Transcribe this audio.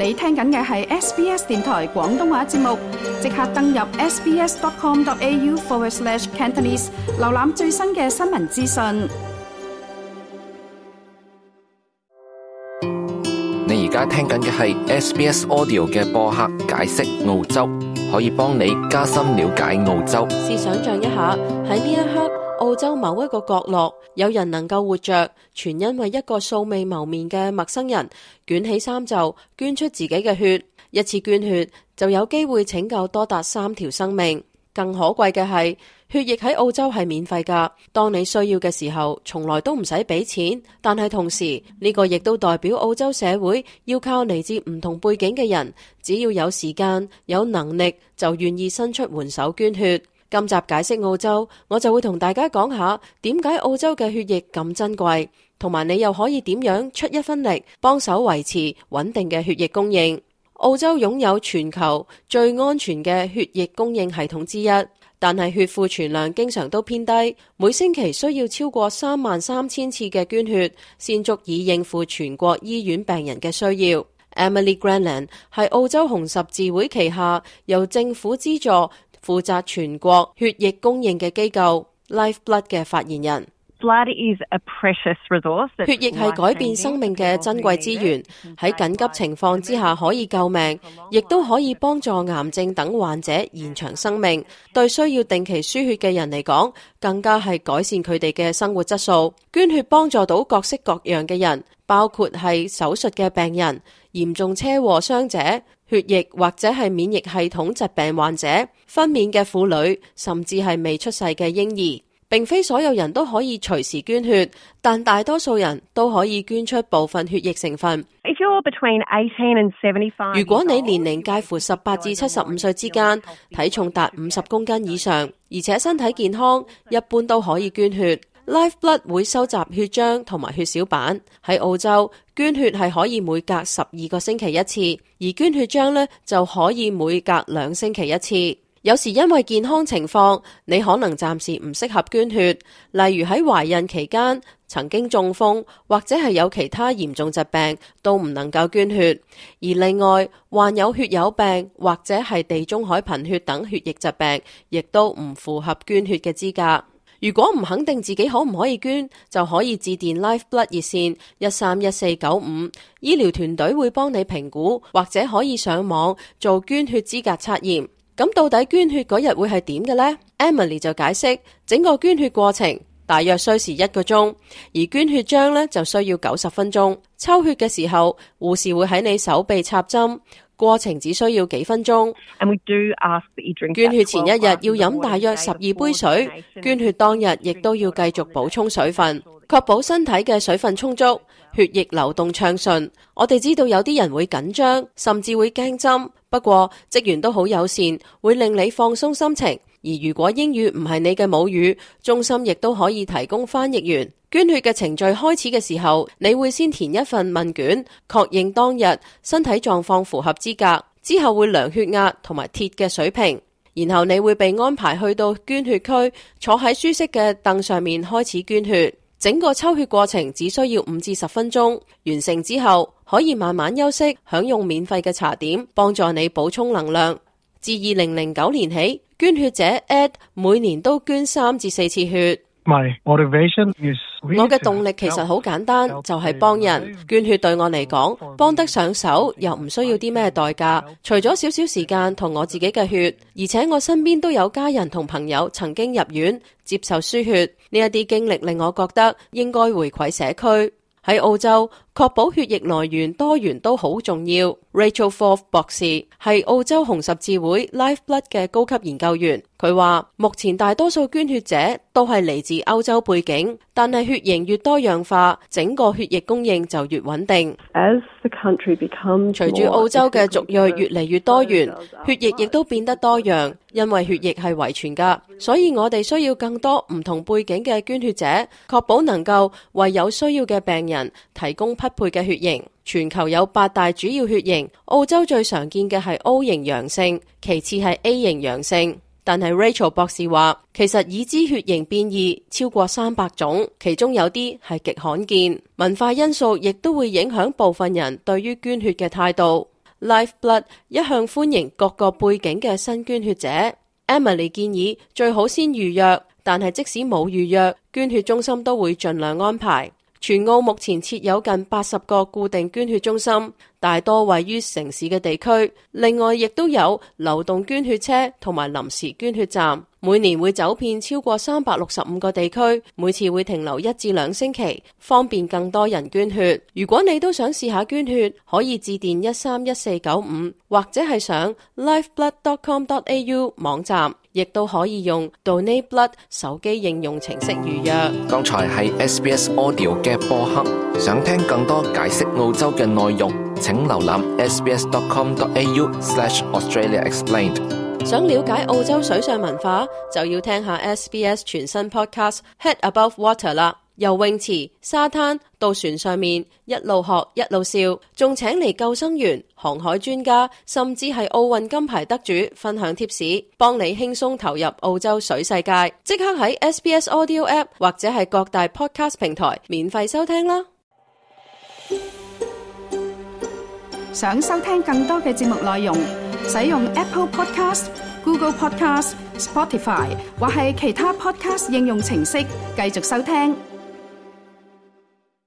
你聽緊嘅係 SBS 電台廣東話節目，即刻登入 sbs.com.au/Cantonese 瀏覽最新嘅新聞資訊。你而家聽緊嘅係 SBS Audio 嘅播客解釋澳洲，可以幫你加深了解澳洲。試想像一下，喺呢一刻，澳洲某一個角落，有人能夠活着，全因為一個素未謀面嘅陌生人捲起衫袖，捐出自己嘅血。一次捐血就有機會拯救多達3條生命。更可貴嘅係，血液喺澳洲係免費㗎。當你需要嘅時候，從來都唔使俾錢。但係同時，呢個亦都代表澳洲社會要靠嚟自唔同背景嘅人，只要有時間、有能力，就願意伸出援手捐血。今集解釋澳洲，我就會同大家講下點解澳洲嘅血液咁珍貴，同埋你又可以點樣出一分力，幫手維持穩定嘅血液供應。澳洲擁有全球最安全嘅血液供應系統之一，但係血庫存量經常都偏低，每星期需要超過33000次嘅捐血，先足以應付全國醫院病人嘅需要。Emily Granland 係澳洲紅十字會旗下由政府資助負責全國血液供應嘅機構 Lifeblood 嘅發言人。Blood is a precious resource. 血液係改變生命嘅珍貴資源，喺緊急情況之下可以救命，亦都可以幫助癌症等患者延長生命。對需要定期輸血嘅人嚟講，更加係改善佢哋嘅生活質素。捐血幫助到各式各樣嘅人，包括係手術嘅病人、嚴重車禍傷者、血液或者係免疫系統疾病患者、分娩嘅婦女，甚至係未出世嘅嬰兒。並非所有人都可以隨時捐血，但大多數人都可以捐出部分血液成分。If you're between 18 and 75, 如果你年齡介乎18至75歲之間，體重達50公斤以上，而且身體健康，一般都可以捐血。Lifeblood 會收集血漿同埋血小板。喺澳洲，捐血係可以每隔12個星期一次，而捐血漿呢就可以每隔2星期一次。有時因為健康情況，你可能暫時唔適合捐血，例如喺懷孕期間曾經中風，或者係有其他嚴重疾病，都唔能夠捐血。而另外，患有血友病或者係地中海貧血等血液疾病，亦都唔符合捐血嘅資格。如果唔肯定自己可唔可以捐，就可以致電 Lifeblood 熱線131495，醫療團隊會幫你評估，或者可以上網做捐血資格測驗。咁到底捐血嗰日會係點嘅呢？ Emily 就解釋，整個捐血過程大約需時1個鐘，而捐血漿呢就需要90分鐘。抽血嘅時候，護士會喺你手臂插針，過程只需要幾分鐘。捐血前一日要飲大約12杯水，捐血當日亦都要繼續補充水分，確保身體嘅水分充足，血液流動暢順。我哋知道有啲人會緊張，甚至會驚針，不過職員都好友善，會令你放鬆心情。而如果英語唔係你嘅母語，中心亦都可以提供翻譯員。捐血嘅程序開始嘅時候，你會先填一份問卷，確認當日身體狀況符合資格，之後會量血壓同埋鐵嘅水平，然後你會被安排去到捐血區，坐喺舒適嘅凳上面開始捐血。整個抽血過程只需要5至10分鐘，完成之後可以慢慢休息，享用免費嘅茶點，幫助你補充能量。自2009年起，捐血者 Ed 每年都捐3至4次血。我嘅動力其實好簡單，就係幫人。捐血對我嚟講，幫得上手又唔需要啲咩代價，除咗少少時間同我自己嘅血，而且我身邊都有家人同朋友曾經入院接受輸血，呢一啲經歷令我覺得應該回饋社區。喺澳洲，確保血液來源多元都好重要。Rachel Forth 博士係澳洲紅十字會 Lifeblood 嘅高級研究員，佢話目前大多數捐血者都係嚟自歐洲背景，但係血型越多樣化，整個血液供應就越穩定。隨住澳洲嘅族裔越嚟越多元，血液亦都變得多樣，因為血液係遺傳噶，所以我哋需要更多唔同背景嘅捐血者，確保能夠為有需要嘅病人提供匹配嘅血型。全球有8大主要血型，澳洲最常見嘅係 O 型陽性，其次係 A 型陽性。但係 Rachel 博士話，其實已知血型變異超過300種，其中有啲係極罕見。文化因素亦都會影響部分人對於捐血嘅態度。Lifeblood 一向歡迎各個背景嘅新捐血者。Emily 建議最好先預約，但係即使冇預約，捐血中心都會盡量安排。全澳目前設有近80個固定捐血中心，大多位於城市嘅地區。另外，亦都有流動捐血車同埋臨時捐血站，每年會走遍超過365個地區，每次會停留1至2星期，方便更多人捐血。如果你都想試下捐血，可以致電131495，或者係上 lifeblood.com.au 網站，亦都可以用 Donate Blood 手機應用程式預約。剛才係 SBS Audio 嘅播客，想聽更多解釋澳洲嘅內容，請瀏覽 sbs.com.au/AustraliaExplained。想了解澳洲水上文化，就要聽下 SBS 全新 podcast Head Above Water 啦。由泳池、沙灘到船上面，一路學一路笑，仲請嚟救生員、航海專家，甚至係奧運金牌得主分享貼士，幫你輕鬆投入澳洲水世界。即刻喺 SBS Audio App 或者係各大 podcast 平台免費收聽啦。想收聽更多嘅節目內容，使用 Apple Podcast、Google Podcast、Spotify 或係其他 podcast 應用程式繼續收聽。